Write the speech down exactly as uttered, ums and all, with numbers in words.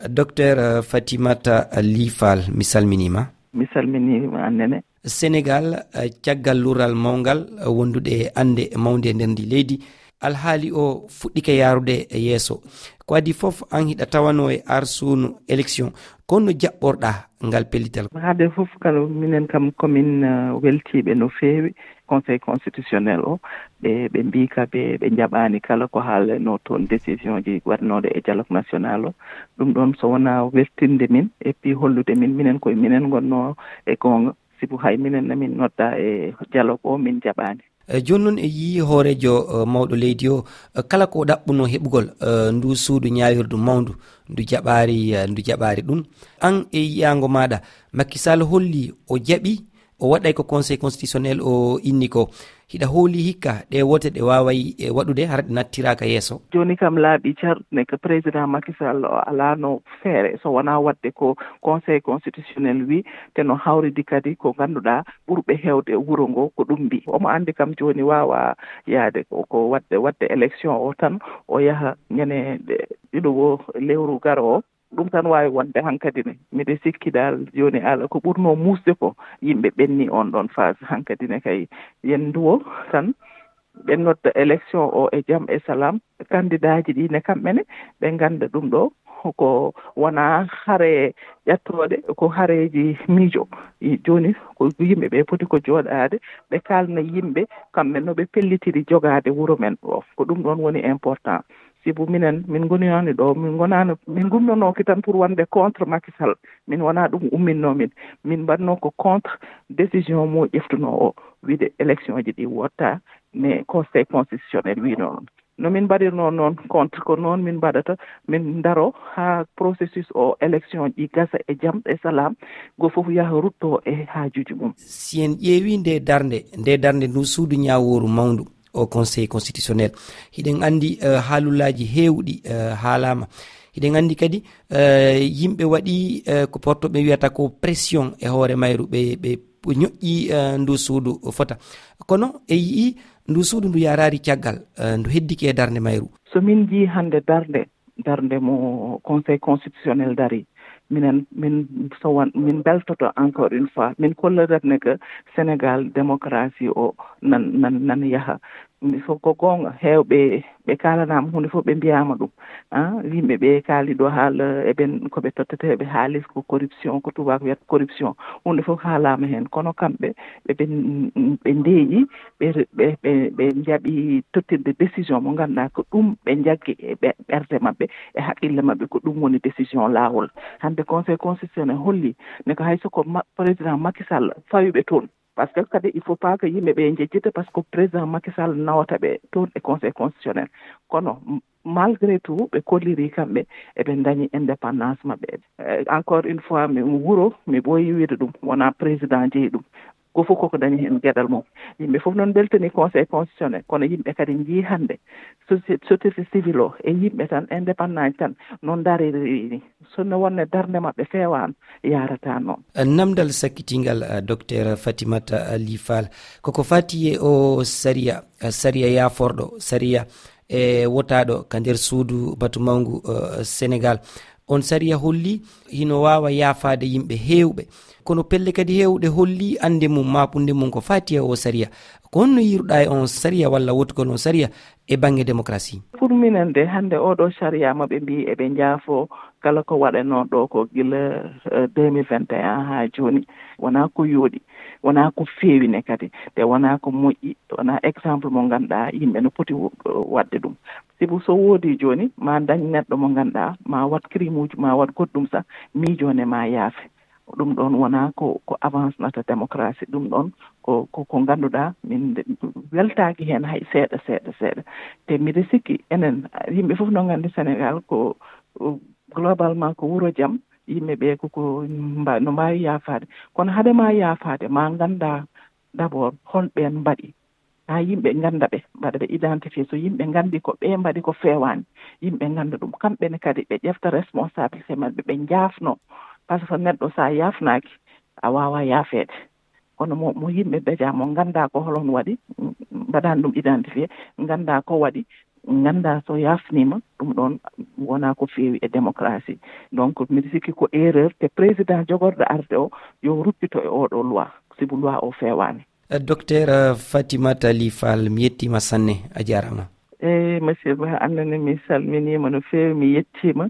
Docteur Fatimata Lifal, mi salminiima. Mi salminiima annene. Senegal, caggal luural mawngal wondude e annde mawnde e nder ndi leydi, alhaali o fuɗɗike yaarude e yeeso. Ko adii fof, aan hiɗa tawanoo e arsuunu élection. Kono jaɓɓorɗaa ngal pellital? Haade fof kala, minen kam komin weltiiɓe no feewi. Conseil constitutionnel o, ɓe ɓe mbii ka ɓe ɓe njaɓaani kala ko haalanoo toon, décision ji waɗnooɗo e dialogue national o. Ɗum ɗoon so wonaa weltinde min, et puis hollude min minen koye minen ngonnoo e goonga, sibu hay minen na min noddaa e dialogue o, min njaɓaani. E jooni noon, e yii hooreejo, e, mawɗo leydi o, e, kala ko ɗaɓɓunoo heɓugol, e, ndu suudu ñaawirdu mawndu, ndu jaɓaari, e, ndu jaɓaari ɗum. Aan e yiyaango maaɗa, Macky Sall holli o jaɓi, o waɗay ko Conseil constitutionnel o inni ko. Hiɗa hooli hikka ɗe wote ɗe waaway, e, waɗude hara ɗe nattiraaka yeeso? Jooni kam laaɓi car ne ko président Macky Sall o alaano feere so wonaa waɗde ko Conseil constitutionnel wi, te no hawridi kadi ko ngannduɗaa ɓurɓe heewde e wuro ngo ko ɗum mbi. Omo anndi kam jooni waawaa yaade ko, ko waɗde, waɗde élection o tan, o yaha ñande ɗiɗo o lewru garo o. Ɗum tan waawi wonde hankadi ne. Miɗo sikki dal jooni ala ko ɓurnoo muusde ko yimɓe ɓenni on ɗon phase hankadi ne kay. Yen nduwo tan, ɓe nodda élection o e jam e salaam. Kandidaaji ɗi ne kamɓe ne ɓe ngannda ɗum ɗo ko wonaa hare ƴattooɗe, ko hareeji miijo. I, jooni ko yimɓe ɓe poti ko jooɗaade, ɓe kaalna yimɓe kamɓe no ɓe pellitiri jogaade wuro men ɗo. Ko ɗum ɗoon woni important. Sibu minen, min ngoniyaani ɗo, min ngonaano, min ngummanooki tan pour wonde contre Macky Sall. Min wonaa ɗum umminnoo min. Min mbaɗnoo ko contre décision mo ƴeftunoo o, wiide élection ji ɗi wotta ne Conseil constitutionnel wiinoo ɗum. No min mbaɗirnoo noon contre, ko noon min mbaɗata, min ndaro haa processus o élection ji gasa e jam e salaam, go fof yaha rutto e haajuuji mum. Si en ƴeewi nde darnde, nde darnde ndu suudu ñaawooru mawndu, o Conseil constitutionnel, hiɗen anndi, eh, haalullaaji heewɗi, eh, haalaama. Hiɗen anndi kadi, eh, yimɓe waɗi, eh, ko porto ɓe wiyata ko pression e hoore mayru, ɓe, ɓe ñoƴƴi, eh, ndu suudu fota. Kono e yi'i ndu suudu ndu yaraari caggal, eh, ndu heddike e darnde mayru. So min njii hannde darnde, darnde mo Conseil constitutionnel dari, minen, min so won, min mbeltoto encore une fois, min kollirat ne que Sénégal démocratie o nan, nan, nan yaha. Mi so ko goonga, heewɓe ɓe kaalanaama huunde fof, ɓe mbiyaama ɗum. Ah, yimɓe ɓe kaali ɗo haala eɓen ko ɓe totteteeɓe haalis, ko corruption, ko tubaak wiyata corruption. Huunde fof haalaama heen. Kono kamɓe, ɓe, ɓe, ɓe ndeeƴi, ɓe, ɓe, ɓe, ɓe njaɓi tottirde décision mo ngannduɗaa ko ɗum ɓe njaggi e ɓe, ɓerɗe maɓɓe, e haqqille maɓɓe, ko ɗum woni décision laawol. Hannde Conseil constitutionnel holli ne ko hay so ko ma-, président Macky Sall fawi ɓe toon. Parce que kadi, il faut pas que yimɓe ɓe njejjita, parce que président Macky Sall nawata ɓe toon e Conseil constitutionnel. Kono, m-, malgré tout, ɓe kolliri kamɓe, eɓe ndañi indépendance maɓɓe. Eh, encore une fois, mi wuro, mi ɓooyi wiide ɗum, wonaa président jeyi ɗum. Ko fof koko dañi heen geɗal mum. Yimɓe fof noon mbeltani Conseil constitutionnel, kono yimɓe kadi njii hannde soci-, société civile o e yimɓe tan, indépendant tan, noon dariri ni. So no wonne darnde maɓɓe feewaano, yaarata noon. Namdal sakkitingal, eh, Docteur Fatimata, eh, Ly Fall, koko fati e o sariya, eh, sariya yaaforɗo, sariya e wotaaɗo ka nder suudu batu mawngu, eh, Senegal. On sariya holli hino waawa yaafaade yimɓe heewɓe. Kono pelle kadi heewɗe holli annde mum, maapunde mum ko fati e o sariya. Ko honno yiiruɗaa e on sariya walla wotugol on sariya e bannge démocratie? Pour minen de, hannde oɗo sariya mo ɓe mbii eɓe njaafo kala ko waɗanoo ɗo ko gila, eh, deux mille vingt et un haa jooni, wonaa ko yooɗi, wonaa ko feewi ne kadi, te wonaa ko moƴƴi, wonaa exemple mo ngannduɗaa yimɓe no poti wo-, waɗde ɗum. Sibu so woodi jooni, ma dañ neɗɗo mo ngannduɗaa, ma waɗ crime uji, ma waɗ goɗɗum sah, miijo ne ma yaafe. Ɗum ɗoon wonaa ko, ko avance nata démocratie. Ɗum ɗoon ko, ko, ko ngannduɗaa, min de, weltaaki heen hay seeɗa, seeɗa, seeɗa. Te miɗo sikki enen, yimɓe fof no nganndi Senegal ko, uh, globalement ko wuro jam, yimɓe ɓe ko, ko mba-, no mbaawi yaafaade. Kono hade ma yaafaade, ma ngannda d'abord hol ɓeen mbaɗi. Haa yimɓe ngannda ɓe, mbaɗa ɓe identifié. So yimɓe nganndi ko ɓe mbaɗi ko feewaani, yimɓe ngannda ɗum. Kamɓe ne kadi ɓe ƴefta responsabilité maɓɓe, ɓe njaafno. Par ce que neɗɗo so a yaafnaaki, a waawaa yaafeede. Kono mo, mo yimɓe déjà mo ngannda ko holon waɗi, mbaɗaani ɗum identifié, ngannda ko waɗi, Nganndaa so yaafniima ɗum ɗoon, wonaa ko feewi e démocratie. Donc mbiɗa sikki ko erreur te président jogorɗo arde o yo ruppito e oɗo loi, sibu loi o feewaani. Docteur Fatimata Ly Fall, mi yettiima sanne, a jaaraama. Eyi monsieur Ba, annene mi salminiima no feewi, mi yettiima.